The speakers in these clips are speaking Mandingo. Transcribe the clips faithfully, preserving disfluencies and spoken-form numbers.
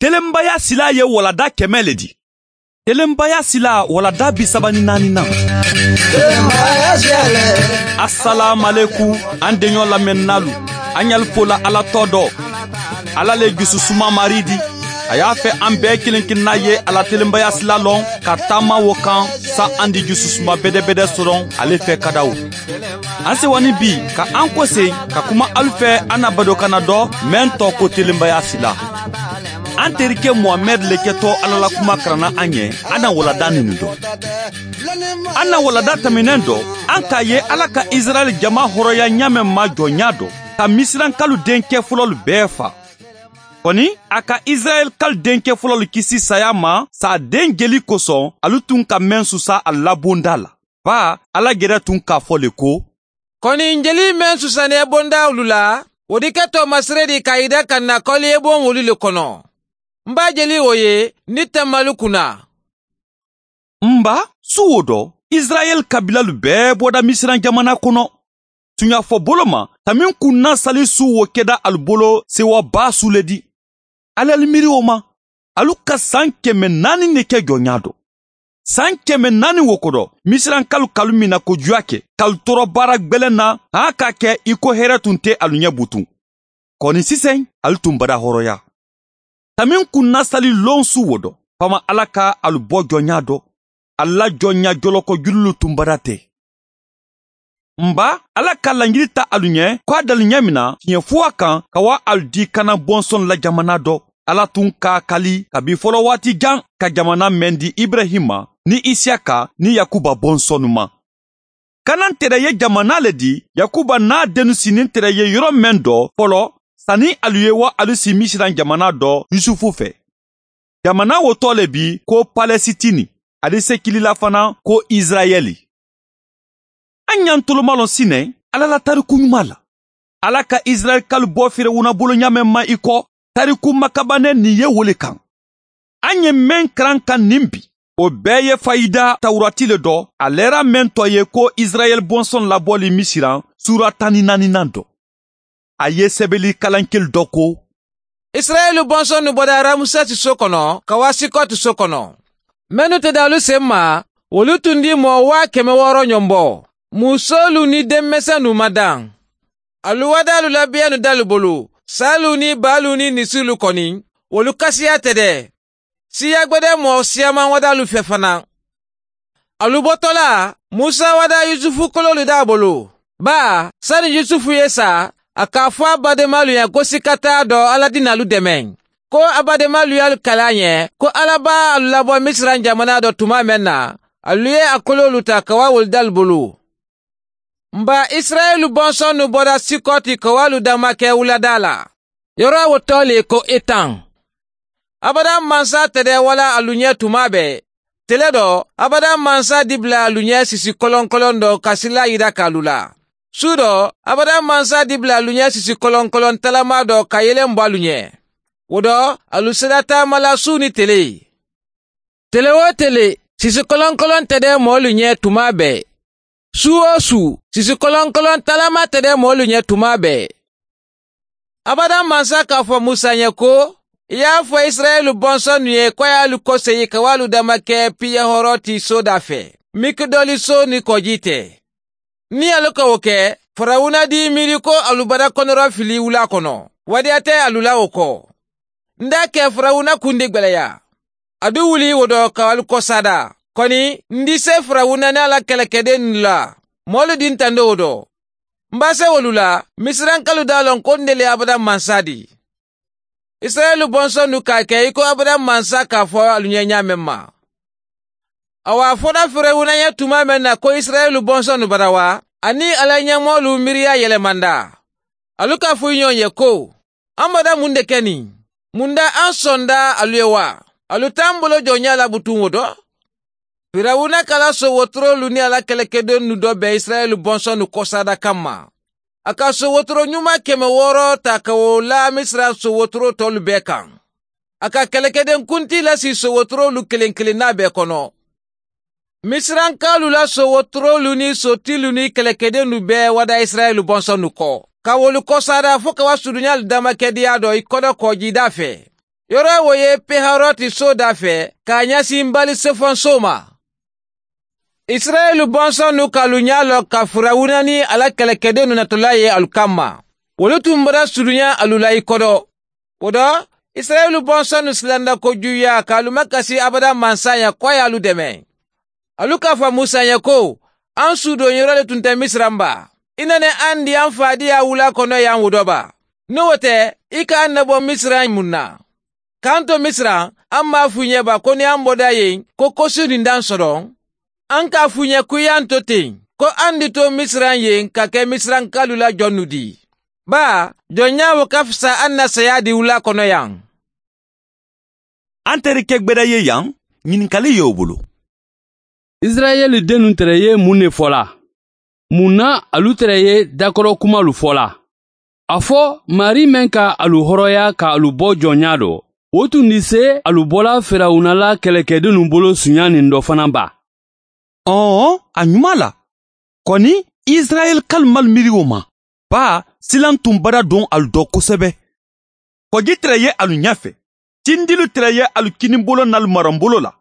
Telenbaya silaa ye waladaa kɛmɛ le di. Telenbaya silaa waladaa bi saba ni naani nan. Asalaamualekum, an deɲɔ lamɛnninaalu, an ɲali fo la ala tɔ dɔ. Ala le jususuma marii di. A y'a fɛ an bɛɛ kelen kelenna ye a la telenbaya silaa lɔn ka taama wo kan, sa an di jususuma bedebede sɔrɔ ale fɛ kadawo. An sewani bi ka an kosee ka kuma alu fɛ, an na badokanna dɔ meŋ tɔɔ ko telenbaya silaa. An terike muhamɛdi le kɛtɔ ala la kuma karanna an ye. An na waladaa ninnu dɔn. An na waladaa tɛmɛnen dɔn, an k'a ye ala ka isirayɛli jama hɔrɔnya ɲaamɛ ma jɔnya dɔn, ka misirankaalu denkɛ fɔlɔlu bɛɛ faa. Kɔni, a ka isirayɛli kaalu denkɛ fɔlɔlu kisi saya ma saa den jeli kosɔn, alu tun ka meŋ susa a labondaa la. Baa, ala gɛrɛ tun k'a fɔ le ko, kɔni, n jeli meŋ susannee bondaa wolu la, wo diketoo maŋ sere di ka i da ka na kɔliye boŋ wolu le kono. N b'a jeli wo ye, ni tanmalu kunna. N ba, su wo dɔ, isirayɛli kabilalu bɛɛ bɔda misira jamana kono. Tuɲafɔ bolo ma, tanmi kunna sali su wo kɛda alu bolo sewa baa su le di. Ali alu miiri wo ma, alu ka san kɛmɛ naani ne kɛ jɔnya dɔ. San kɛmɛ naani wo kodo, misirankaalu ka alu miina kojuya ke, ka alu tooro baara gbɛlɛn na, haa ka a kɛ i ko hɛrɛ tun tɛ alu ɲɛ butun. Kɔni sisan, alu tun bada hɔrɔnya. Tanmi kunna sali lon su wo dɔ, fama ala ka alu bɔ jɔnya dɔ. Ala jɔnya jɔlɔkɔ jululu tun bada tɛ. N ba, ala ka laɲini ta alu ɲɛ ko a dali ɲɛ min na tiɲɛ fo a kan ka wa alu di kana bɔnsɔn la jamana dɔ. Ala tun k'a kali kabi fɔlɔ waati jan ka jamana meŋ di ibrahima, ni isiyaka, ni yakuba bɔnsɔnnu ma. Kanan tere ye jamana le di yakuba n'a dennu si ni tere ye yɔrɔ meŋ dɔ fɔlɔ, sani alu ye wa alu si misira jamana dɔ yusufu fɛ. Jamana wo tɔ le bi ko palesitini, a di sekilila fana ko isirayɛli. An ɲa n tolomalɔn sinɛ ala la tariku ɲuman la. Ala ka isirayɛli kaalu bɔ firawuna bolo ɲaamɛ ma i kɔ, tariku makabanɛ nin ye wo le kan. An ye meŋ karan kan nin bi, o bɛɛ ye fayida tawurati le dɔ, a lɛra meŋ tɔ ye ko isirayɛli bɔnsɔn labɔli misiran, suura tan ni naaninan dɔ. A ye sɛbɛli kalankeli dɔ ko, isirayɛli bɔnsɔnnu bɔda ramusɛti so kono ka wa sikɔti so kono. Mennu te daalu sen ma, wolu tun di moo waa kɛmɛ wɔɔrɔ ɲɔnbɔ, musoolu ni denmisɛnnu ma daŋ. Alu wadaalu la beenu daalu bulu, saalu ni baalu ni nisilu kɔni, wolu kasiya tede. Siya gbede moo siyamaŋ wadaalu fe fanaŋ. Alu botola, musa wadaa yusufu koloolu daa bulu. Baa, sani yusufu ye sa, a k'a fo a bademaalu ye ko sikataa dɔ aladinaalu demeŋ, ko a bademaalu ye alu kali a ɲe ko ala be alu labɔ misira jamana dɔ tumaa meŋ na, alu ye a koloolu taa ka waa wolu daalu bulu. N ba, isirayɛli bɔnsɔnnu bɔra sikɔti ka waa alu damake wuladaa la. Yɔrɔ wo tɔ le ko etaŋ. Abadaŋ mansa tede wala alu ɲe tumaa bee. Tele dɔ, abadaŋ mansa dibila alu ɲe sisi kolonkoloŋ dɔ ka sila yida ka alu la. Su dɔ, abadaŋ mansa dibila alu ɲe sisi kolonkoloŋ talamaa dɔ ka yeleŋ bo alu ɲe. Wo dɔ, alu sedata mala su ni tele. Tele wo tele, sisi kolonkoloŋ tede moolu ɲe tumaa bee. Su wo su, sisi kolonkoloŋ talamaa tede moolu ɲe tumaa bee. Abadaŋ mansa k'a fo musa ɲe ko, i ye a fo isirayɛli bɔnsɔnnu ye ko a ye alu koseyi ka wo alu damake piyehooroo ti soodaa fe, mikidoli soo ni kɔji te. Niŋ alu ka wo ke, farawuna di miiri ko alu bada konoroo fili wulaa kono, wadiya te alu la wo ko. N daa ke farawuna kundi gbeleya. A du wuli wo do ka alu kosaada. Koni, n di se farawuna niŋ a la kelekedennu la, moolu dinta n do wo do. M be a se wolu la, misirankaalu daa loŋ ko n de le abadaŋ mansa di. Isirayeli bonsonnu ka a ke i ko abadaŋ mansa ka a fo alu ɲee ɲaameŋ ma. Awa a fota firawuna ye tumaa meŋ na ko isirayeli bonsonnu barawa, a niŋ a la ɲemoolu miiriyaa yelemanda. Alu ka a fo i ɲoŋ ye ko, an bada muŋ de ke niŋ? Muŋ da an sonda alu ye wa? Alu te an bolo jooɲaa la butuŋ wo do? Firawuna ka a la soowoturoolu niŋ a la kelekedennu do be isirayeli bonsonnu kosaada kamma. A ka soowoturo ɲumaa keme wooro taa ka wo laa misira soowoturoo toolu bee kaŋ. A ka kelekedenkuntii lasi soowoturoolu keleŋ keleŋ naa bee kono. Misirankaalu la soowoturoolu niŋ sootiilu niŋ kelekedennu bee wada isirayeli bonsonnu ko, ka wolu kosaada fo ka wa suduɲaalu damakediyaa do i kodo koojiidaa fee. Yoro wo ye peharoti soodaa fee ka a ñasi mbaali sefoŋ sooma. Isirayeli bonsonnu ka alu ñaa loo ka firawuna niŋ a la kelekedennu natulaa ye alu kamma. Wolu tumbara suduña alu la i kodo. Wo to, isirayeli bonsonnu silanda ko juuyaa ka alu makasi abada mansa ña ko a ye alu deme. Alu ka a fo musa ñe ko, an suudoŋ yoro le tunta misira n baa? I nene an di an faadiyaa wulaa kono yaŋ wo do baa? Niŋ wo te, i ka an ne bo misira n muŋ na? Ka an to misira, an maŋ a fuu ñe baa ko niŋ an boda yeŋ ko kosi dindaŋ sodoŋ? An ka a fuu ñe kuyanto teŋ ko an di to misira n yeŋ ka ke misirankaalu la jonnu di? Baa jonñaa wo ka fisa an na sayaa di wulaa kono yaŋ? An teri ke gbeda ye yaŋ, ñininkali ye wo bulu. Isirayeli dennu tere ye muŋ ne fola? Muŋ na alu tere ye dakoro kumalu fola? A fo maarii meŋ ka alu horoya ka alu bo jonñaa do, wo tundi se alu bola firawuna la kelekedennu bolo suñaaniŋ do fanaŋ baa? Ɔɔ, a ñuma la. Koni isirayeli kalu malu miiri wo ma. Baa silaŋ tun bada doŋ alu do kosebe. Kojii tere ye alu ñafe. Cindilu tere ye alu kinimbolo naalu maranbolo la.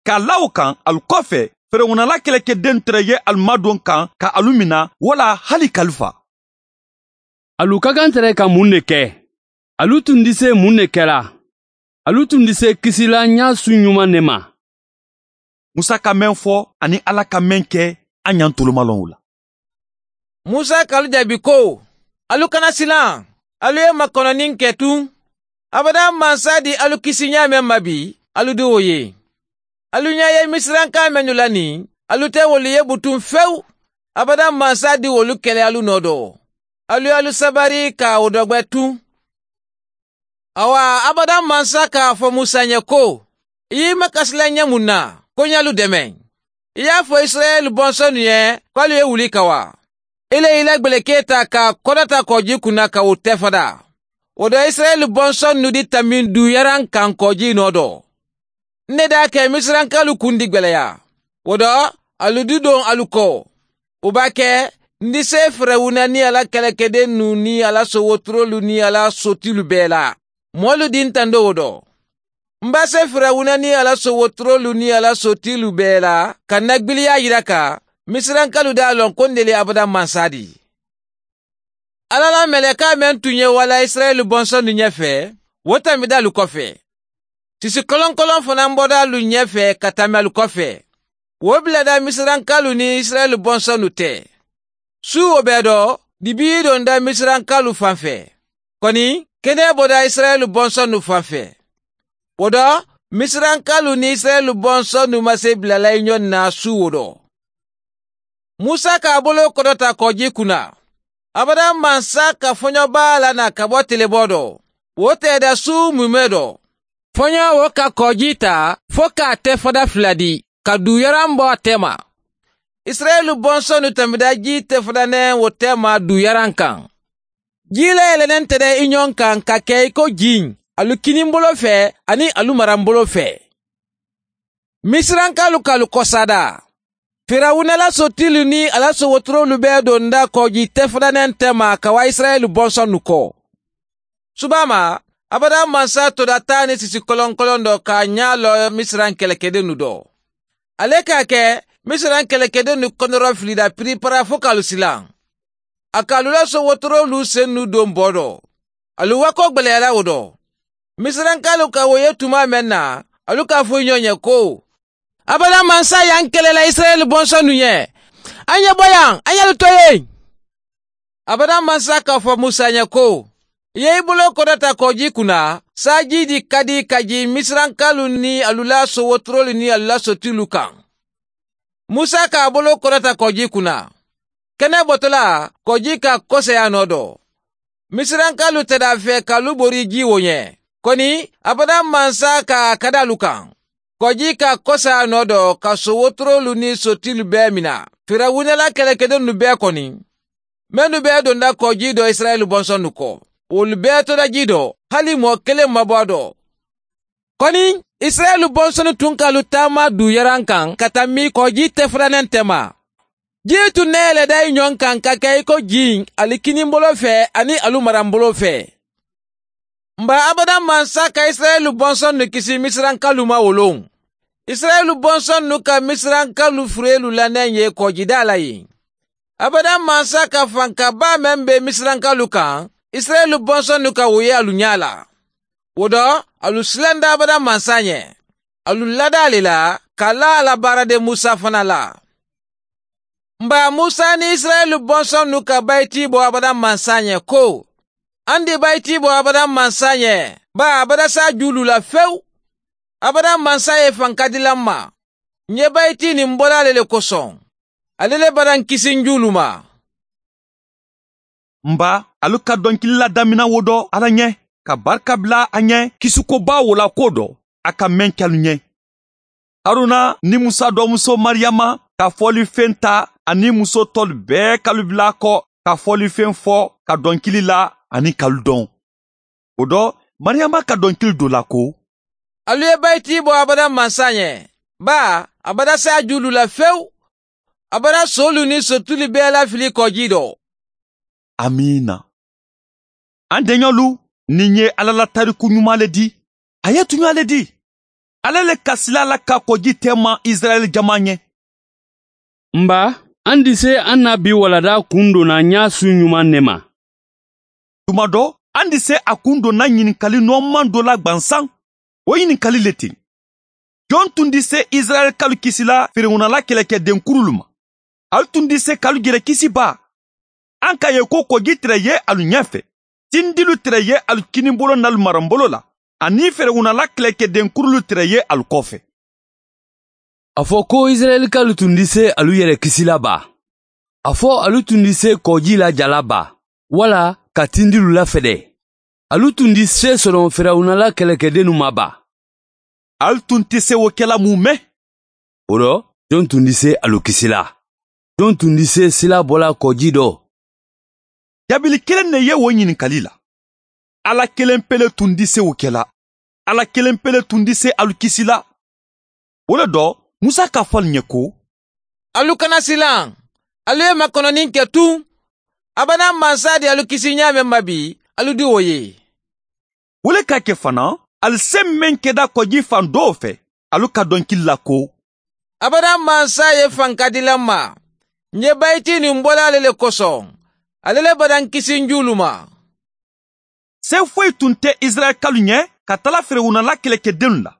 Ka a la wo kaŋ alu kofe, firawuna la kelekedennu tere ye alu madoŋ kaŋ ka alu mina wo la hali kalifa. Alu kakantere ka muŋ ne ke? Alu tundi se muŋ ne ke la? Alu tundi se kisi la ñaa suŋ ñuma ne ma? Musa ka meŋ fo aniŋ ala ka meŋ ke, a ñantolu maŋ loŋ wo la. Musa ka alu jaabi ko, alu kana silaŋ. Alu ye makononiŋ ke tuŋ. Abada mansa di alu kisi ñaa meŋ ma bi, alu di wo ye. Alu ñaa ye misirankaa mennu la niŋ, alu te wolu ye butuŋ fewu. Abada mansa di wolu kele alu noo do. Alu ye alu sabari ka wo dogbe tuŋ. Awa abada mansa ka a fo musa ñe ko, i ye i makasi la ñe muŋ na? Ko ñe alu deme. I ye a fo isirayeli bonsonnu ye ko alu ye wuli ka wa. I le i la gbelekee taa ka a kodota koojii kunna ka wo tefada. Wo do isirayeli bonsonnu di tambi n duuyaraŋ kaŋ koojii noo do. N ne daa ke misirankaalu kundi gbeleya. Wo do alu di doŋ alu ko, wo baa ke n di se firawuna niŋ a la kelekedennu niŋ a la sowoturoolu niŋ a la sotilu bee la. Moolu di n tando wo do. M be a se firawuna niŋ a la sowoturoolu niŋ a la sotilu bee la ka n na gbiliyaa yira ka misirankaalu daa loŋ ko n de le abada mansa di. Alla la melekaa meŋ tun ye wala isirayeli bonsonnu ñefe, wo tambita alu kofe. Sisi koloŋ koloŋ fanaa bota alu ñefe ka tambi alu kofe. Wo bilada misirankaalu niŋ isirayeli bonsonnu te. Suu wo bee do, dibii donda misirankaalu fanfe. Koni kenee bota isirayeli bonsonnu fanfe. Wo do, misirankaalu niŋ isirayeli bonsonnu ma se bilala i ñoŋ na suu wo do. Musa ka a boloo kodota koojii kunna. Abada mansa ka foño baa la naa ka bo tileboo do. Wo teeda suu mumee do. Foñoo wo ka koojii taa fo ka a tefada fula di ka duuyaraŋ bo a teema. Isirayeli bonsonnu tambita jii tefada neŋ wo teema duuyaraŋ kaŋ. Jii le ye le neŋ tede i ñoŋ kaŋ ka ke i ko jiiñ, alu kinimbolo fee aniŋ alu maranbolo fee. Misirankaalu ka alu kosaada. Firawuna la sotiilu niŋ a la sowoturoolu bee donda koojii tefada neŋ teema ka waa isirayeli bonsonnu ko. Subaa ma, abada mansa toda taa niŋ sisi koloŋ koloŋ do ka a ñaa loo misiraŋ kelekedennu do. A le ka a ke misiraŋ kelekedennu kondoro filida piripara fo ka alu silaŋ. A ka alu la sowoturoolu sennu doŋ boo do. Alu wakoo gbeleya la wo do. Misirankaalu ka wo ye tumaa meŋ na, alu ka a fo i ñoo ñe ko, abada mansa ye a n kele la isirayeli bonsonnu ñe. A ye ñe bo yaŋ a ye alu to yeŋ. Abada mansa ka a fo musa ñe ko, i ye i boloo kodota koojii kunna, saajii di kadi ka jii misirankaalu niŋ alu la sowoturoolu niŋ alu la sotiilu kaŋ. Musa ka a boloo kodota koojii kunna. Kene botolaa koojii ka a koseyaa noo do. Misirankaalu te daa fee ka alu borii jii wo ñe. Koni abada mansa ka a kadi alu kaŋ. Koojii ka a koseyaa noo do ka sowoturoolu niŋ sotiilu bee mina firawuna la kelekedennu bee koni. Mennu bee donda koojii do isirayeli bonsonnu ko, wolu bee toda jii do, hali moo keleŋ ma bo a do. Koni isirayeli bonsonnu tun ka alu taama duuyaraŋ kaŋ ka tambi koojii tefadaneŋ tema. Jii tun ne ye le dayi ñoŋ kaŋ ka ke i ko jiiñ, ali kinimbolo fee aniŋ alu maranbolo fee. M ba abadaŋ mansa ka isirayɛli bɔnsɔnnu kisi misirankalu ma wo loŋ. Isirayɛli bɔnsɔnnu ka misirankalu fureelu la neŋ ye kɔɔjidaa la yen. Abadaŋ mansa ka fanka baa meŋ be misirankalu kaŋ, isirayɛli bɔnsɔnnu ka wo ye alu ñaa la. Wo do, alu silanda abadaŋ mansa ñe. Alu lada a le la ka laa a la baarade musa fana la. M ba musa niŋ isirayɛli bɔnsɔnnu ka bayiti bo abadaŋ mansa ñe ko, a ndi bayiti bo abadaŋ mansa ñe, baa abada si a juulu la fewu. Abadaŋ mansa ye fankadi la m ma. N ye bayiti niŋ bola le le kosoŋ. Ale le badaŋ kisi n juulu ma. M ba, alu ka donkili la damina wo do alla ñe, ka barika bila a ñe kisiko baa wo la ko do a ka meŋ ke alu ñe. Haruna niŋ musa doomuso mariyama ka folifeŋ taa aniŋ muso tolu bee kalu bila a ko ka folifeŋ fo ka donkili la aniŋ kalu doŋ. Wo do, mariyama ka donkili do la ko, alu ye bayiti bo abada mansa ñe, baa abada si a juulu la fewu. Abada soolu niŋ sotuli bee la fili kɔji do. Amiina. An deñolu, niŋ ye alla la tariku ñumaa le di, a ye tuñaa le di. Alla le ka sila la ka kɔji teema isirayɛli jamaa ñe. M ba, an di se an na bi walada kundona ñaa su ñumaŋ ne ma. Tuma do, an di se a kundona ñininkali noomaŋ do la gbansaŋ. Wo ñininkali le ti, joŋ tun di se isirayɛli kalu kisi la firawuna la keleke denkurulu ma? Ali tun di se kalu jere kisi baa? An ka ye ko kɔji tere ye alu ñefe, tindilu tere ye alu kinibolo nalu marambolo la, aniŋ firawuna la keleke denkurulu tere ye alu kofe. A fo ko isirayɛli kalu tun di se alu yere kisi la baa? A fo alu tun di se kɔji la jala baa, wala ka tindilu la fede? Alu tun di se sono firawuna la keleke dennu ma baa? Ali tun ti se wo kela mu me? Wo do, joŋ tun di se alu kisi la? Joŋ tun di se sila bola kɔji do? Jabili kelen ne ye wo ñininkali la. Alla kelen pele tun di se wo kela. Alla kelen pele tun di se alu kisi la. Wo le do, musa ka fo alu ñe ko, alu kana silaŋ. Alu ye makononiŋ ke tuŋ. Abada mansa di alu kisi ñaameŋ ma bi, alu di wo ye. Wo le ka ke fanaŋ, ali se meŋ keda kɔji faŋ doo fe, alu ka donkili la ko, abada mansa ye fankadi la ma. N ye bayiti niŋ bola le le kosoŋ. Ale le badaŋ kisi n juulu ma. Se foyi tun te isirayɛli kalu ñe ka tala firawuna la kelekedennu la.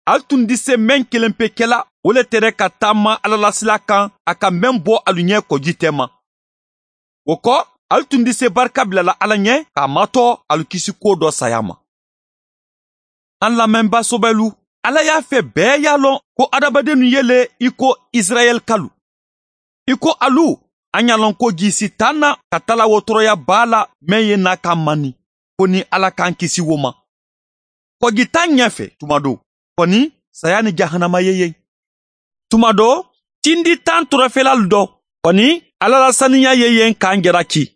Ali tun di se meŋ kelen pe kela, wo le tere ka taama alla la sila kaŋ a ka meŋ bo alu ñe kɔji teema. Wo ko, ali tun di se barika bila la alla ñe k'a mato alu kisi kuwo do saya ma. An lamɛnba sobelu, alla ye a fe bee ye a loŋ ko adamadennu ye le i ko isirayɛli kalu. I ko alu, an ye a loŋ ko jii si taa n na ka tala wo toroya baa la meŋ ye naa ka mani, fo niŋ alla ka n kisi wo ma. Kɔji taa n ñefe tuma do, koni saya ni jahanama ye yen. Tuma do, tindi taa n torofelalu do, koni alla la saniya ye yen ka n jaraki.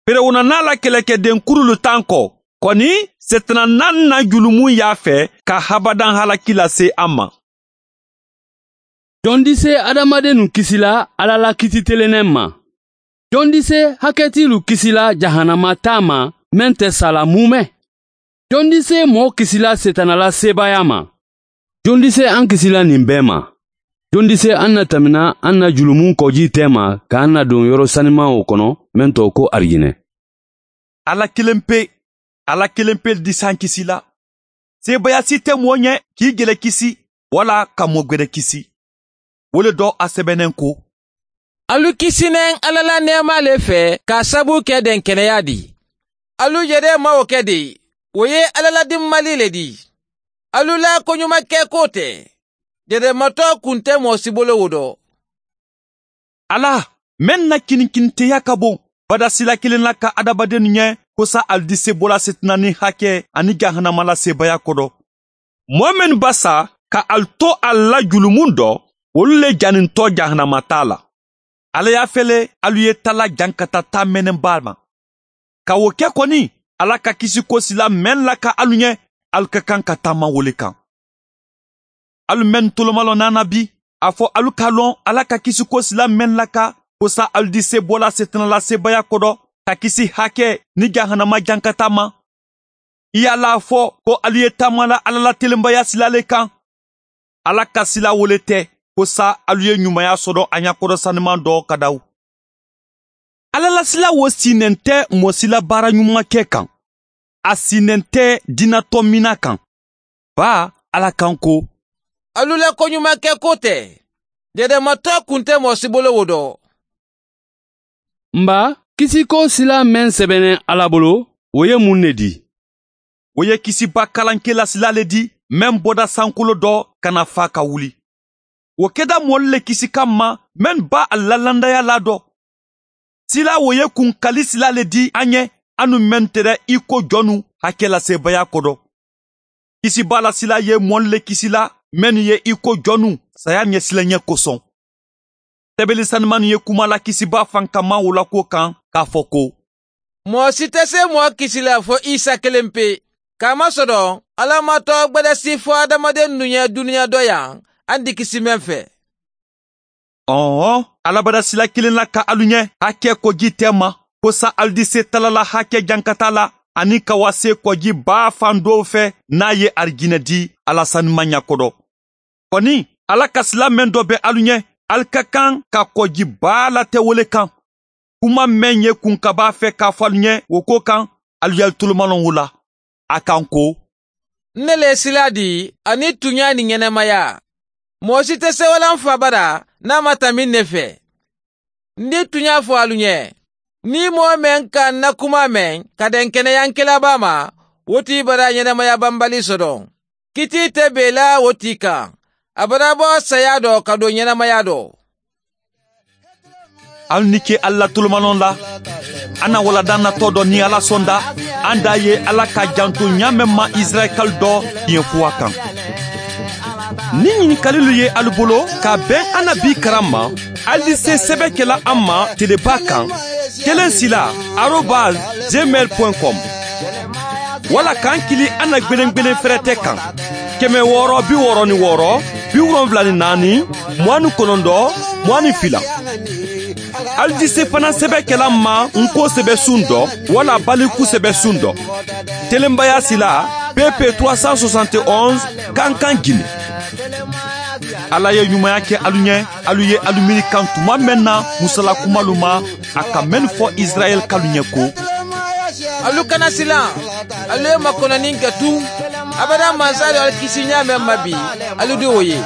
Firawuna naa la keleke denkurulu taa n ko, koni setana naa n na julumu ye a fe ka habadaŋ halaki lase a ma. Jondi se adamadennu kisi la alla la kiititelenneŋ ma? Jondi se haketiilu kisi la jahanama taa ma meŋ te sa la muume? Jondi se moo kisi la setana la seebaaya ma? Jondi se an kisi la ñiŋ bee ma? Jondi se an na tamina an na julumu kɔji teema ka an na duŋ yoro sanimaŋo kono meŋ to ko arijine? Alla kelen pe, alla kelen pe di se an kisi la. Seebaaya si te moo ñe k'i gele kisi walla ka moo gwede kisi. Wo le do a sebeneŋ ko, alu kisi neŋ alla la neemaa le fee ka a sabu ke denkeneyaa di. Alu jedee mawo ke de, wo ye alla la dimmali le di. Alu la koñumakekoo te, jedee matoo kunte moo si bolo wo do. Alla, meŋ na kininkiniteya ka boŋ, badasila kiliŋ la ka adamadennu ñe kosa ali di se bola setina niŋ hake aniŋ jahanama la seebaaya kodo. Moo mennu basa ka ali to ali la julumu do, wolu le janintoo jahanama taa la. Alla ye a fele alu ye tala jankata taa meneŋ baa ma. Ka wo ke koni, alla ka kisiko sila meŋ la ka alu ñe, alu ka kaŋ ka taama wo le kaŋ. Alu mennu tolomaloo naana bi, a fo alu ka loŋ alla ka kisiko sila meŋ la ka kosa alu di se bola setina la seebaaya kodo, ka kisi hake niŋ jahanama jankata ma. I ye a laa fo ko alu ye taama la alla la telenbaya sila le kaŋ. Alla ka sila wo le te ko saayiŋ alu ye ɲumaya soto a ɲakodosanimaŋ do kadawu. Alla la sila wo sii nente moo si la baara ɲumankee kaŋ. A sii nente diinatɔmiina kaŋ. Baa, alla kaŋ ko, alu la koɲumankee ko te. Dedematoo kunte moo si bolo wo do. N baa, kisiko sila meŋ sebeneŋ alla bolo, wo ye muŋ ne dii? Wo ye kisibaa kalankela sila le dii, meŋ bota sankolo do ka na faa ka wuli. Wo keta moolu le kisi kamma mennu be a la landaya la do. Sila wo ye kunkali sila le dii a ɲe, a nu mennu tera i ko jonnu hakkelasebaya kodo. Kisibaa la sila ye moolu le kisi la mennu ye i ko jonnu saya ɲesilaɲe kosoŋ. Tebeli sanimannu ye kuma la kisibaa fankamaa wo la kuwo kaŋ, ka a fo ko, moo si te see moo kisi la fo isa keleŋ pe. Kaamasodoo, alla maŋ too gbadasi fo hadamadennu ɲe duniya doyaŋ a nti kisi meŋ fee. Ɔɔ, alla badasila kiliŋ la ka alu ɲe hakkee kojii teema, ko saayiŋ alu di see tala la hakkee jankataa la aniŋ ka waa see kojii baa faŋ doo fee niŋ a ye arijinna dii a la sanimaŋ ɲa kodo. Koni, alla ka sila meŋ do be alu ɲe, alu ka kaŋ ka kojii baa late wo le kaŋ. Kuma meŋ ye kunkabaa fee ka a fo alu ɲe wo ko kaŋ, alu ye alu tolomaloŋ wo la. A kaŋ ko, n ne le ye sila dii aniŋ tuɲaa niŋ ɲenemaya. Moo si te sewo la n faa bada niŋ a maŋ tanbi n ne fee. N di tuɲaa fo alu ɲe, niŋ moo meŋ ka n na kumaa meŋ ka denkeneyaŋ kela baa ma, wo tii bada ɲenemaya bambali soto. Kitii te bee la wo tii kaŋ. A bada bo sayaa do ka doo ɲenemaya do. Alu ni ke alla la tolomanoŋ la. A na wala daŋ natoo do niŋ alla sonda. Aŋ daa ye alla ka janto ɲaa meŋ ma isirayila kalu do diŋ fuwa kaŋ. Niŋ ɲinikalilu ye alu bolo ka a beŋ a na bii karaŋ ma, alu di see sebe ke la a ma telebaa kaŋ, keleŋ sila arobas gmail point com. Walla ka aŋ kili a na gbeneŋ gbeneŋ ferete kaŋ, keme wooro bi wooro ni wooro, bi wolonwula ni naani, muwaŋ ni konondoo, muwaŋ ni fila. Alu di see fanaŋ sebe ke la a ma n ko sebe suŋ do walla baliku sebe suŋ do. Telenbaya sila, pepe trois cent soixante et onze, kankan gine. Alla ye ɲumaya ke alu ɲe, alu ye alu miiri kaŋ tuma meŋ na musala kumalu ma, a ka mennu fo isirayila kalu ɲe ko, alu kana silaŋ, alu ye makononiŋ ke tuŋ. Abada mansaalu alu kisi ɲaa meŋ ma bi, alu di wo ye.